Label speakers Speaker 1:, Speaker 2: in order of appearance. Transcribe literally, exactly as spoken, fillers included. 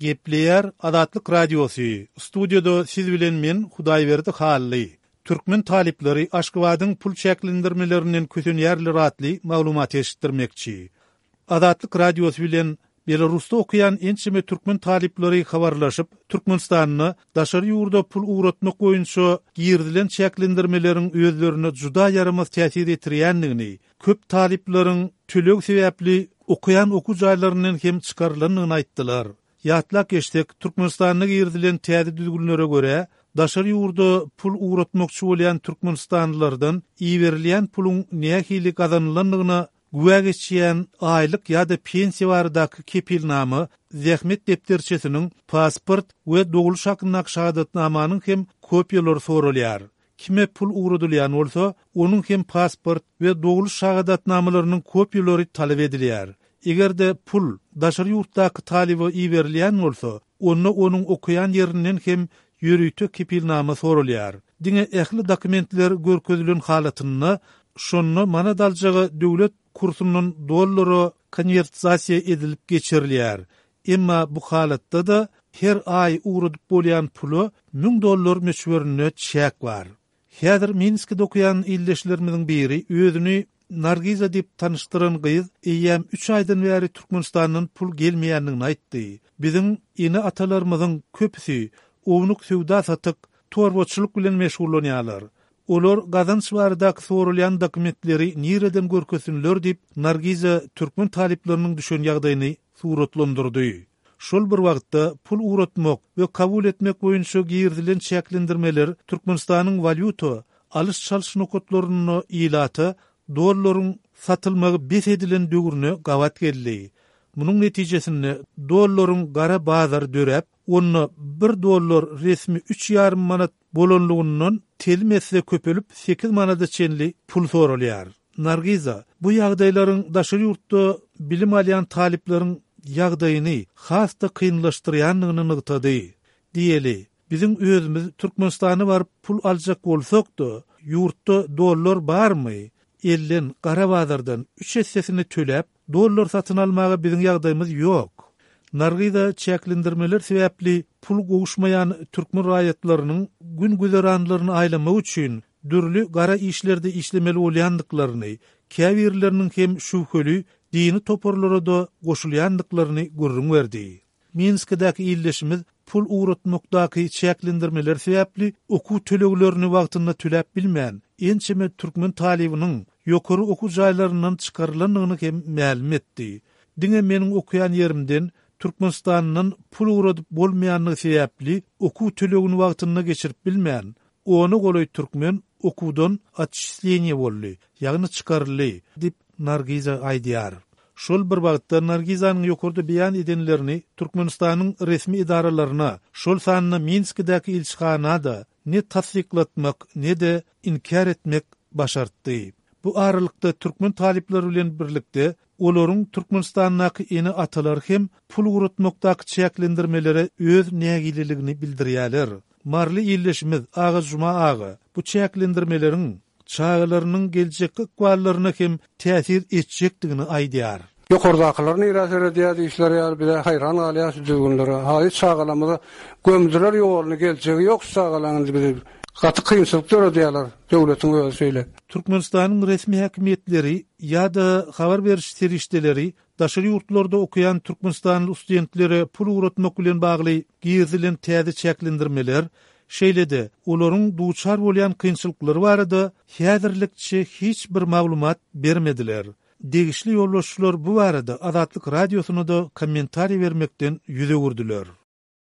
Speaker 1: Gepleýär Azatlyk Radiosy, studiýada siz bilen men Hudaýberdi Hally. Türkmen talyplary Aşgabadyň pul çäklendirmelerinden kösenýärler atly maglumat eşitdirmekçi. Azatlyk Radiosy bilen Belarusda okaýan ençeme türkmen talyplary habarlaşyp, Türkmenistanda daşary ýurda pul ugratmak boýunça girizilen çäklendirmeleriň özlerine juda ýaramaz täsir etirýändigini, köp talyplaryň töleg sebäpli okaýan okuw jaýlaryndan hem çykarylandygyny aýtdylar. Ýatlap geçsek, Türkmenistanda girizilen täze düzgünlere görä, daşary ýurda pul ugratmakçy bolýan türkmenistanlylardan iberilýän puluň nähili gazanylandygyna güwä geçýän aýlyk ýa-da pensiýa baradaky kepilnama, zähmet depderçesiniň, pasport we doguluş hakyndaky şahadatnamanyň hem kopiýalary soralýar. Kime pul ugradylýan bolsa, onuň hem pasport we doguluş şahadatnamalarynyň kopiýalary talap edilýär. Eger-de pul daşary ýurtdaky talyba iberilýän bolsa, onda onuň okaýan ýerinden hem ýörite kepilnama soralýar. Diňe ähli dokumentler görkezilen halatynda şonda manat aljaga döwlet kursundan dollara konwertasiýa edilip geçirilýär. Emma bu halatda-da her aý ugradyp bolýan pula müň dollar möçberinde çäk bar. Häzir Minskide okaýan ildeşlerimiziň biri özüni Nargiza diýip tanyşdyran gyz eýýäm üç aýdan bäri Türkmenistandan pul gelmeýändigini aýtdy. Biziň ene-atalarymyzyň köpüsi ownuk söwda-satyk, torbaçylyk bilen meşgullanýarlar. Olar gazanç baradaky sorulýan dokumentleri nireden görkezsinler diýip, Nargiza türkmen talyplarynyň düşen ýagdaýyny suratlandyrdy. Şol bir wagtda pul ugratmak we kabul etmek boýunça girizilen çäklendirmeler Türkmenistanyň walýuta alyş-çalyş nokatlarynda ilata dollaryň satylmagy bes edilen döwrüne gabat geldi. Munuň netijesinde dollaryň gara bazary döräp, onda bir dollar resmi üç ýarym manat bolanlygyndan telim esse köpelip sekiz manada çenli pul soralýar. Nargiza bu ýagdaýlaryň daşary ýurtda bilim alýan talyplaryň ýagdaýyny has-da kynlaşdyrýandygyny nygtady. Diýeli, biziň özümiz Türkmenistana baryp pul aljak bolsak-da, ýurtda dollar barmy? Elden, gara bazardan üç essesini töläp, dollar satyn almaga biziň ýagdaýymyz ýok. Nargiza çäklendirmeler sebäpli pul gowuşmaýan türkmen raýatlarynyň gün güzeranlaryny aýlamak üçin dürli gara işlerde işlemeli bolýandyklaryny, käbirleriniň hem şübheli dini toparlara-da goşulýandyklaryny gürrüň berdi. Minskidäki ildeşimiz pul ugratmakdaky çäklendirmeler sebäpli okuw töleglerini wagtynda töläp bilmän, ençeme türkmen talybynyň ýokary okuw jaýlaryndan çykarylandygyny hem mälim etdi. Diňe meniň okaýan ýerimden Türkmenistandan pul ugradyp bolmaýandygy sebäpli okuw tölegini wagtynda geçirip bilmän, ona golaý türkmen okuwdan otçisleniýe boldy, ýagny çykaryldy diýip Nargiza aýdýar. Şol bir wagtda Nargizanyň ýokarda beýan edenlerini Türkmenistanyň resmi edaralaryna, şol sanda Minskidäki ilçihana-da ne tassyklatmak, ne-de inkär etmek başartdy. Bu aralykda türkmen talyplary bilen birlikde olaryň Türkmenistandaky ene-atalary hem pul ugratmakdaky çäklendirmelere öz nägileligini bildirýärler. Maryly ildeşimiz Agajuma aga bu çäklendirmeleriň çagalarynyň geljekki ykballaryna hem täsir etjekdigini aýdýar.
Speaker 2: Ýokardakylar nirä seredýär diýişler ýaly bize haýran galýar şu düzgünlere. Haýy çagalarymyza gömdüler ýoluny, geljegi ýok şu çagalaryň bizi gaty kynçylyk döredýärler döwletiň özi şeýle.
Speaker 1: Türkmenistanyň resmi häkimiýetleri ýa-da habar beriş serişdeleri daşary ýurtlarda okaýan türkmenistanly studentlere pul ugratmak bilen bagly girizilen täze çäklendirmeler, şeýle-de olaryň duçar bolýan kynçylyklary barada häzirlikçe hiç bir maglumat bermediler. Degişli ýolbaşçylar bu barada Azatlyk Radiosyna-da kommentariý bermekden ýüz öwürdiler.